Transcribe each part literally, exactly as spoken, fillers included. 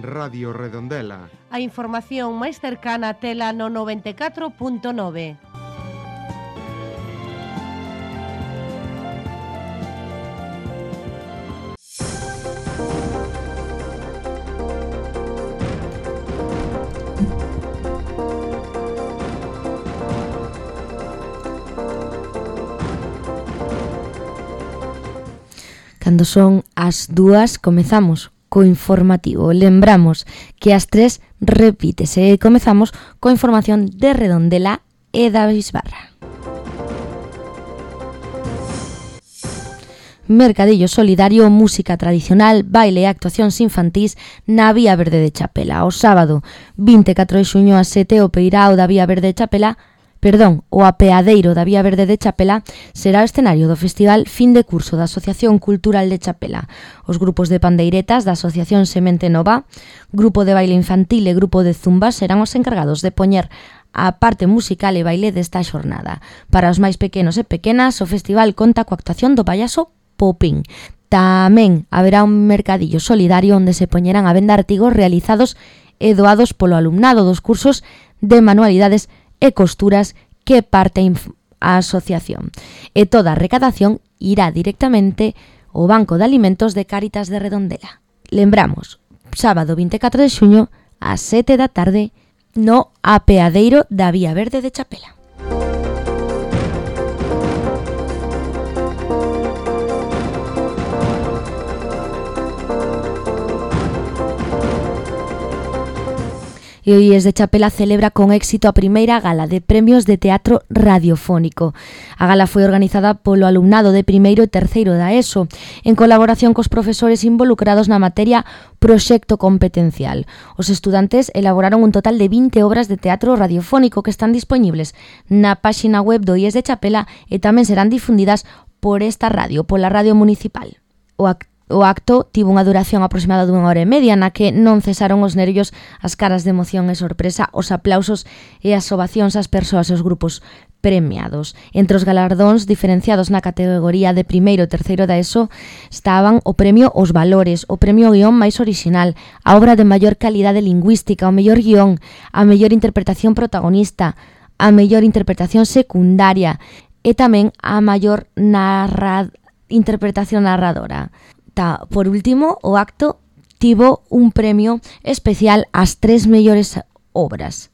Radio Redondela. A información máis cercana tela no noventa e catro punto nove. Cando son as dúas, comezamos co informativo. Lembramos que as tres repítese e comezamos coa información de Redondela e da Bisbarra. Mercadillo solidario, música tradicional, baile e actuacións infantís na Vía Verde de Chapela. O sábado vinte e catro de xuño a sete o peirao da Vía Verde de Chapela Perdón, o apeadeiro da Vía Verde de Chapela será o escenario do Festival Fin de Curso da Asociación Cultural de Chapela. Os grupos de pandeiretas da Asociación Semente Nova, grupo de baile infantil e grupo de zumba serán os encargados de poñer a parte musical e baile desta xornada. Para os máis pequenos e pequenas, o festival conta coa actuación do payaso Popín. Tamén haberá un mercadillo solidario onde se poñerán a venda artigos realizados e doados polo alumnado dos cursos de manualidades e costuras que parte a asociación. E toda a recadación irá directamente ao Banco de Alimentos de Cáritas de Redondela. Lembramos, sábado vinte e catro de xuño ás sete da tarde no apeadeiro da Vía Verde de Chapela. E o I E S de Chapela celebra con éxito a primeira gala de premios de teatro radiofónico. A gala foi organizada polo alumnado de primeiro e terceiro da ESO, en colaboración cos profesores involucrados na materia Proxecto Competencial. Os estudantes elaboraron un total de vinte obras de teatro radiofónico que están dispoñibles na páxina web do I E S de Chapela e tamén serán difundidas por esta radio, pola radio municipal. O acto O acto tivo unha duración aproximada dunha hora e media na que non cesaron os nervios, as caras de emoción e sorpresa, os aplausos e as ovacións ás persoas e os grupos premiados. Entre os galardóns diferenciados na categoría de primeiro e terceiro da ESO estaban o premio Os Valores, o premio Guión máis orixinal, a obra de maior calidade lingüística, o mellor guión, a mellor interpretación protagonista, a mellor interpretación secundaria e tamén a maior narra... interpretación narradora. Por último, o acto tivo un premio especial ás tres mellores obras.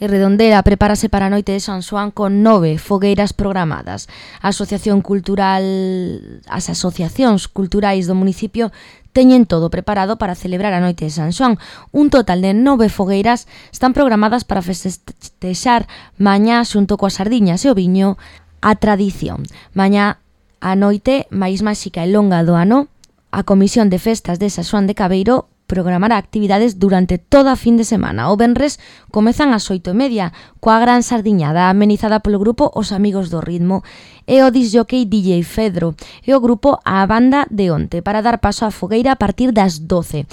E Redondela prepárase para a noite de San Xoán con nove fogueiras programadas. A Asociación Cultural, as asociacións culturais do municipio teñen todo preparado para celebrar a noite de San Xoán. Un total de nove fogueiras están programadas para festexar mañá xunto coas sardiñas e o viño a tradición. Mañá a noite máis máxica e longa do ano, a Comisión de Festas de San Xoán de Cabeiro programará actividades durante toda a fin de semana. O venres comezan ás oito e media coa gran sardiñada amenizada polo grupo Os Amigos do Ritmo e o disjockey D J Fedro e o grupo A Banda de Onte para dar paso á fogueira a partir das doce.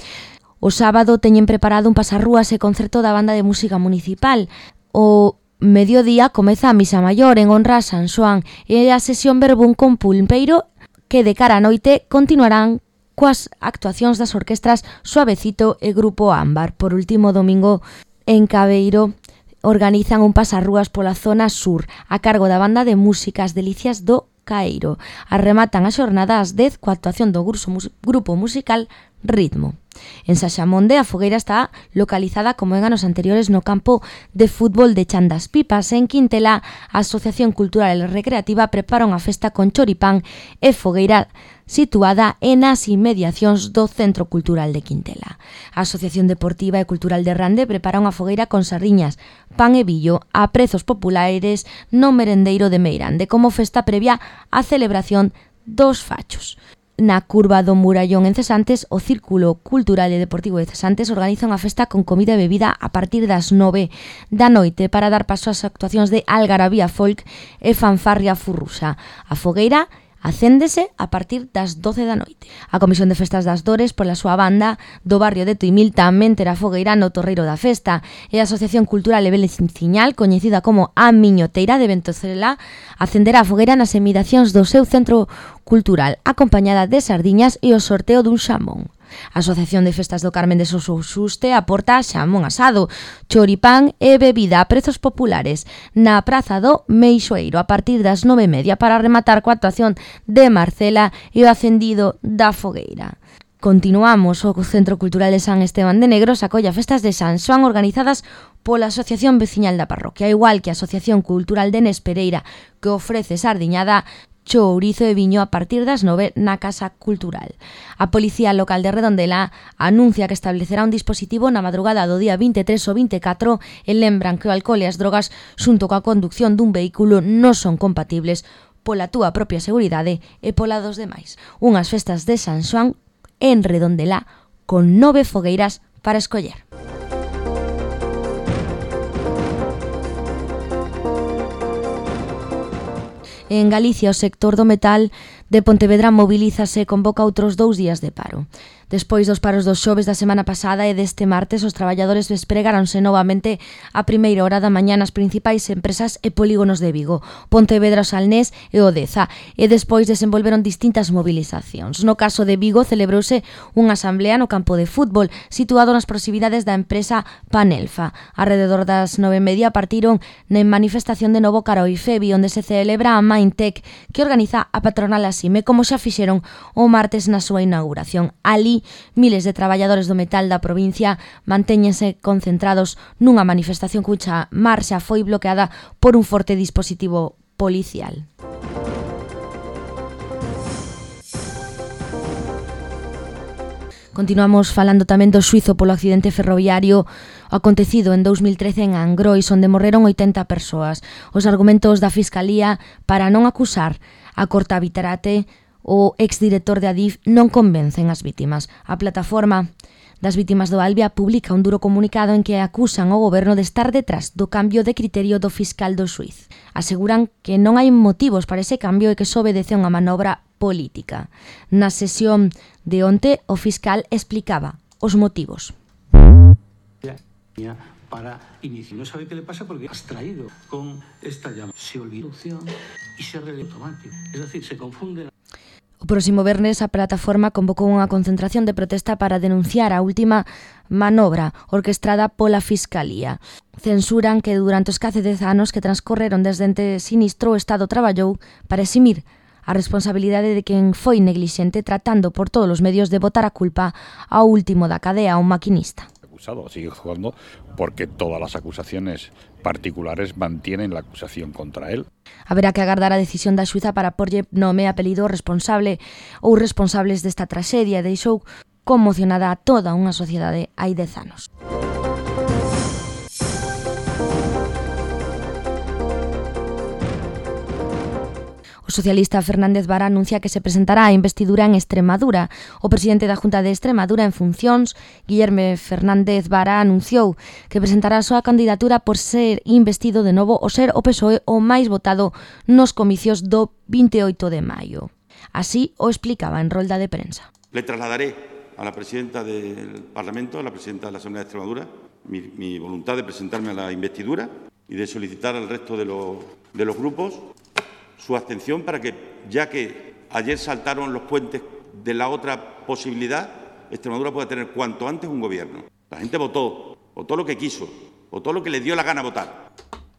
O sábado teñen preparado un pasarrúas e concerto da banda de música municipal. O mediodía comeza a misa maior en honra a San Xoán e a sesión verbún con pulpeiro que de cara a noite continuarán coas actuacións das orquestras Suavecito e Grupo Ámbar. Por último, domingo en Cabeiro organizan un pasarrúas pola zona sur a cargo da banda de músicas Delicias do Caeiro. Arrematan a xornada ás dez coa actuación do grupo musical Ritmo. En Saxamonde a fogueira está localizada como en anos anteriores no campo de fútbol de Chan das Pipas. En Quintela, a Asociación Cultural e Recreativa prepara unha festa con choripán e fogueira situada en as inmediacións do Centro Cultural de Quintela. A Asociación Deportiva e Cultural de Rande prepara unha fogueira con sardiñas, pan e billo a prezos populares no merendeiro de Meirande como festa previa á celebración dos fachos. Na curva do Murallón en Cesantes, o Círculo Cultural e Deportivo de Cesantes organiza unha festa con comida e bebida a partir das nove da noite para dar paso ás actuacións de Algarabía Folk e Fanfarria Furruxa. A fogueira Acéndese a partir das doce da noite. A Comisión de Festas das Dores, pola súa banda, do barrio de Tuimil tamén terá fogueira no Torreiro da Festa, e a Asociación Cultural e Belenciñal, coñecida como A Miñoteira de Ventosela, acenderá a fogueira nas emidacións do seu centro cultural, acompañada de sardiñas e o sorteo dun xamón. A Asociación de Festas do Carmen de Sosoususte aporta xamón asado, choripán e bebida a prezos populares na Praza do Meixoeiro a partir das nove e media para rematar coa actuación de Marcela e o acendido da fogueira. Continuamos, o Centro Cultural de San Esteban de Negros acolla festas de San Xoán organizadas pola Asociación Veciñal da Parroquia, igual que a Asociación Cultural de Nespereira, que ofrece sardiñada, chourizo e viño a partir das nove na Casa Cultural. A Policía Local de Redondela anuncia que establecerá un dispositivo na madrugada do día vinte e tres ou vinte e catro e lembran que o alcohol e as drogas xunto coa conducción dun vehículo non son compatibles pola túa propia seguridade e pola dos demais. Unhas festas de San Xoán en Redondela con nove fogueiras para escoller. En Galicia, o sector do metal de Pontevedra mobilízase e convoca outros dous días de paro. Despois dos paros dos xoves da semana pasada e deste martes, os traballadores despregáronse novamente a primeira hora da mañá nas principais empresas e polígonos de Vigo, Pontevedra, o Salnés e o Deza, e despois desenvolveron distintas movilizacións. No caso de Vigo, celebrouse unha asamblea no campo de fútbol, situado nas proximidades da empresa Panelfa. Arrededor das nove e media partiron na manifestación de novo cara ao IFEBI, onde se celebra a Maintec, que organiza a patronal Asime, como xa fixeron o martes na súa inauguración. Ali, miles de traballadores do metal da provincia mantéñense concentrados nunha manifestación cuxa marxa foi bloqueada por un forte dispositivo policial. Continuamos falando tamén do xuízo polo accidente ferroviario acontecido en dous mil trece en Angrois, onde morreron oitenta persoas. Os argumentos da Fiscalía para non acusar a Corta Vitarate, o exdirector de Adif, non convencen as vítimas. A plataforma das vítimas do Albia publica un duro comunicado en que acusan o goberno de estar detrás do cambio de criterio do fiscal do xuíz. Aseguran que non hai motivos para ese cambio e que só obedece a unha manobra política. Na sesión de onte, o fiscal explicaba os motivos. Para iniciar. No sabe qué le pasa porque has traído con esta llama. Se olvida y se releva automático. Es decir, se confunde. O próximo vernes a plataforma convocou unha concentración de protesta para denunciar a última manobra orquestrada pola Fiscalía. Censuran que durante os case dez anos que transcorreron desde ente sinistro o Estado traballou para eximir a responsabilidade de quen foi neglixente, tratando por todos os medios de botar a culpa ao último da cadea, un maquinista. Sigue jugando porque todas las acusaciones particulares mantienen la acusación contra él. Haberá que agardar a decisión da xuíza para porlle nome e apelido responsable ou responsables desta traxedia. Deixou conmocionada a toda unha sociedade hai dez anos. O socialista Fernández Vara anuncia que se presentará a investidura en Extremadura. O presidente da Junta de Extremadura en funcións, Guillerme Fernández Vara, anunciou que presentará a súa candidatura por ser investido de novo o ser o P S O E o máis votado nos comicios do vinte e oito de maio. Así o explicaba en rolda de prensa. Le trasladaré a la presidenta del Parlamento, a la presidenta de la Asamblea de Extremadura, mi, mi voluntad de presentarme a la investidura y de solicitar al resto de los, de los grupos su abstención para que, ya que ayer saltaron los puentes de la otra posibilidad, Extremadura pueda tener cuanto antes un gobierno. La gente votó, votó lo que quiso, votó lo que le dio la gana votar.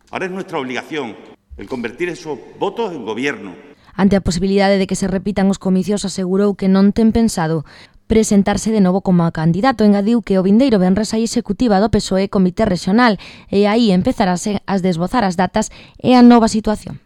Ahora es nuestra obligación el convertir esos votos en gobierno. Ante a posibilidade de que se repitan os comicios, asegurou que non ten pensado presentarse de novo como candidato. Engadiu que o vindeiro venres a executiva do P S O E Comité Regional e aí empezarase a desbozar as datas e a nova situación.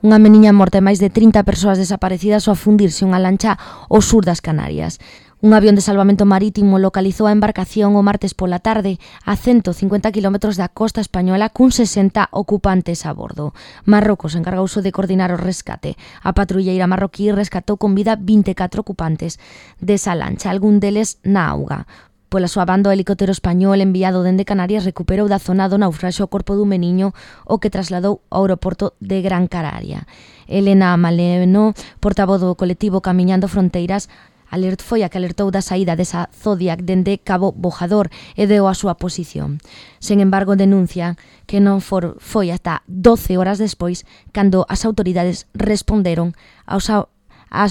Unha meniña morta e máis de trinta persoas desaparecidas ao fundirse unha lancha ao sur das Canarias. Un avión de salvamento marítimo localizou a embarcación o martes pola tarde a ciento cincuenta kilómetros da costa española cun sesenta ocupantes a bordo. Marrocos encargouse de coordinar o rescate. A patrulleira marroquí rescatou con vida vinte e catro ocupantes desa lancha, algún deles na auga. Pola súa banda, o helicóptero español enviado dende Canarias recuperou da zona do naufraxio o corpo dun meniño o que trasladou ao aeroporto de Gran Canaria. Elena Maleno, portavoz do colectivo Camiñando Fronteiras, alert foi a que alertou da saída desa Zodiac dende Cabo Bojador e deu a súa posición. Sen embargo, denuncia que non for, foi ata doce horas despois cando as autoridades responderon aos a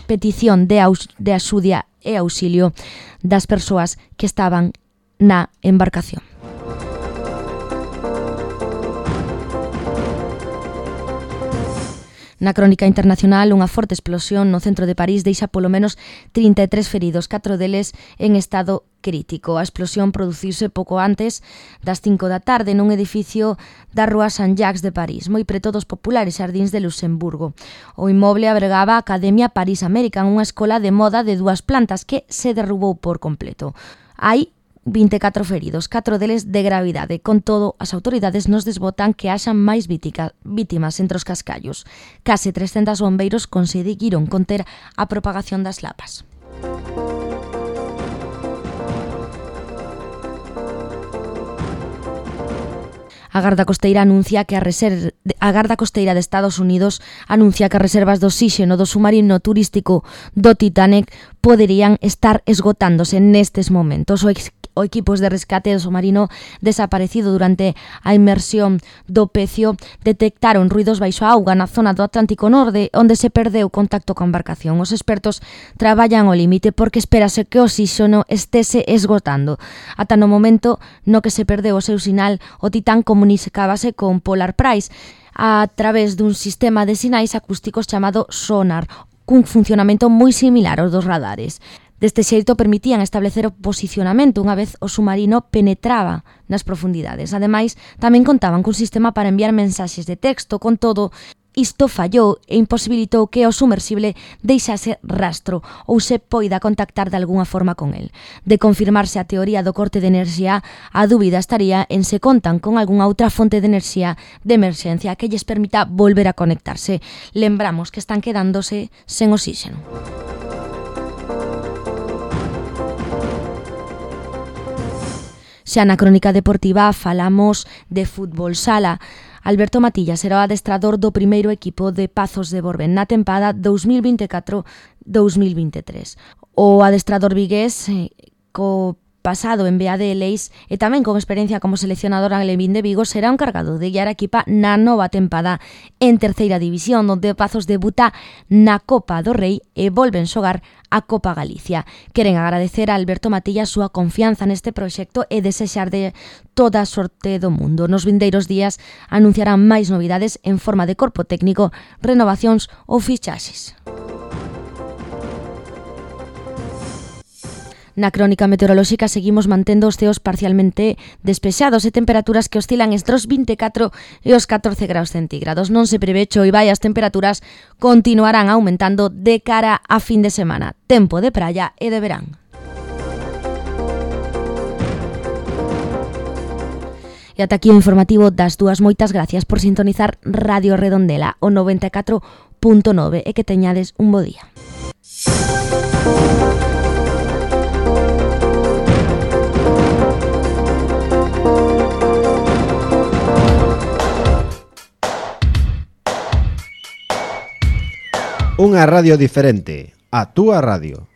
petición de, aus, de axudia e auxilio das persoas que estaban na embarcación. Na crónica internacional, unha forte explosión no centro de París deixa polo menos trinta e tres feridos, catro deles en estado crítico. A explosión produciuse pouco antes das cinco da tarde nun edificio da rúa Saint-Jacques de París, moi preto dos populares xardíns de Luxemburgo. O inmoble abrigaba a Academia Paris American, unha escola de moda de dúas plantas que se derrubou por completo. Hai vinte e catro feridos, catro deles de gravidade. Con todo, as autoridades nos desbotan que haxan máis vítica, vítimas entre os cascallos. Case trescentos bombeiros conseguiron conter a propagación das lapas. A Garda Costeira anuncia que a, reser... a Garda Costeira de Estados Unidos anuncia que as reservas de oxíxeno do submarino turístico do Titanic poderían estar esgotándose nestes momentos. O ex... O equipos de rescate do submarino desaparecido durante a inmersión do Pecio detectaron ruidos baixo a auga na zona do Atlántico Norte, onde se perdeu contacto coa embarcación. Os expertos traballan ao límite porque espérase que o oxíxeno estese esgotando. Ata no momento no que se perdeu o seu sinal, o Titán comunicábase con Polar Price a través dun sistema de sinais acústicos chamado sonar, cun funcionamento moi similar aos dos radares. Deste xeito permitían establecer o posicionamento unha vez o submarino penetraba nas profundidades. Ademais, tamén contaban cun sistema para enviar mensaxes de texto. Con todo, isto fallou e imposibilitou que o sumersible deixase rastro ou se poida contactar de algunha forma con el. De confirmarse a teoría do corte de enerxía, a dúbida estaría en se contan con algunha outra fonte de enerxía de emerxencia que lles permita volver a conectarse. Lembramos que están quedándose sen oxíxeno. Xa na crónica deportiva falamos de fútbol sala. Alberto Matilla será o adestrador do primeiro equipo de Pazos de Borbén na tempada dos mil vinte e catro dos mil vinte e tres. O adestrador vigués, eh, co pasado en B A D Leis e tamén con experiencia como seleccionador en Levín de Vigo, será o encargado de guiar a equipa na nova tempada en terceira división, onde Pazos debuta na Copa do Rei e volven xogar a Copa Galicia. Queren agradecer a Alberto Matilla a súa confianza neste proxecto e desexar de toda a sorte do mundo. Nos vindeiros días anunciarán máis novidades en forma de corpo técnico, renovacións ou fichaxes. Na crónica meteorolóxica seguimos mantendo os ceos parcialmente despexados e temperaturas que oscilan entre os vinte e catro e os catorce graus centígrados. Non se prevé choiva e as temperaturas continuarán aumentando de cara a fin de semana. Tempo de praia e de verán. E ata aquí o informativo das dúas. Moitas gracias por sintonizar Radio Redondela, o noventa e catro punto nove, e que teñades un bo día. Unha radio diferente, a túa radio.